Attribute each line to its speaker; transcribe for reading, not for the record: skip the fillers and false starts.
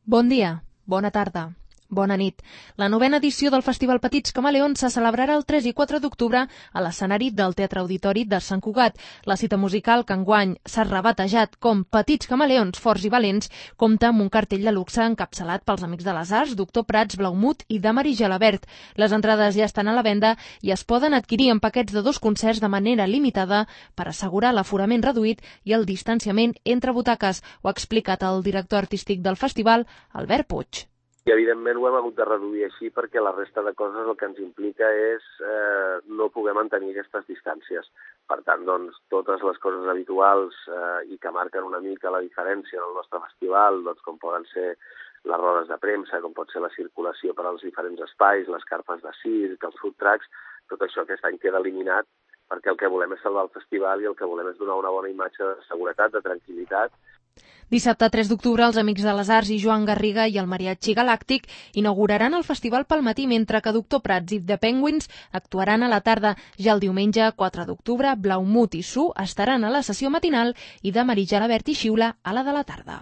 Speaker 1: Bon dia, bona tarda, bona nit. La novena edició del Festival Petits Camaleons se celebrarà el 3 i 4 d'octubre a l'escenari del Teatre Auditori de Sant Cugat. La cita musical, que enguany s'ha rebatejat com Petits Camaleons Forts i Valents, compta amb un cartell de luxe encapçalat pels Amics de les Arts, Doctor Prats, Blaumut i Damari Gelabert. Les entrades ja estan a la venda i es poden adquirir en paquets de 2 concerts de manera limitada per assegurar l'aforament reduït i el distanciament entre butaques. Ho ha explicat el director artístic del festival, Albert Puig.
Speaker 2: I evidentment ho hem hagut de reduir així perquè la resta de coses el que ens implica és no poder mantenir aquestes distàncies. Per tant, doncs, totes les coses habituals i que marquen una mica la diferència en el nostre festival, doncs, com poden ser les rodes de premsa, com pot ser la circulació per als diferents espais, les carpes de circ, els food trucks, tot això aquest any queda eliminat perquè el que volem és salvar el festival i el que volem és donar una bona imatge de seguretat, de tranquil·litat.
Speaker 1: Dissabte 3 d'octubre, els Amics de les Arts i Joan Garriga i el Mariachi Galàctic inauguraran el festival pel matí, mentre que Doctor Prats i The Penguins actuaran a la tarda. Ja el diumenge 4 d'octubre, Blaumut i Su estaran a la sessió matinal i Damari Gelabert i Xiula a la de la tarda.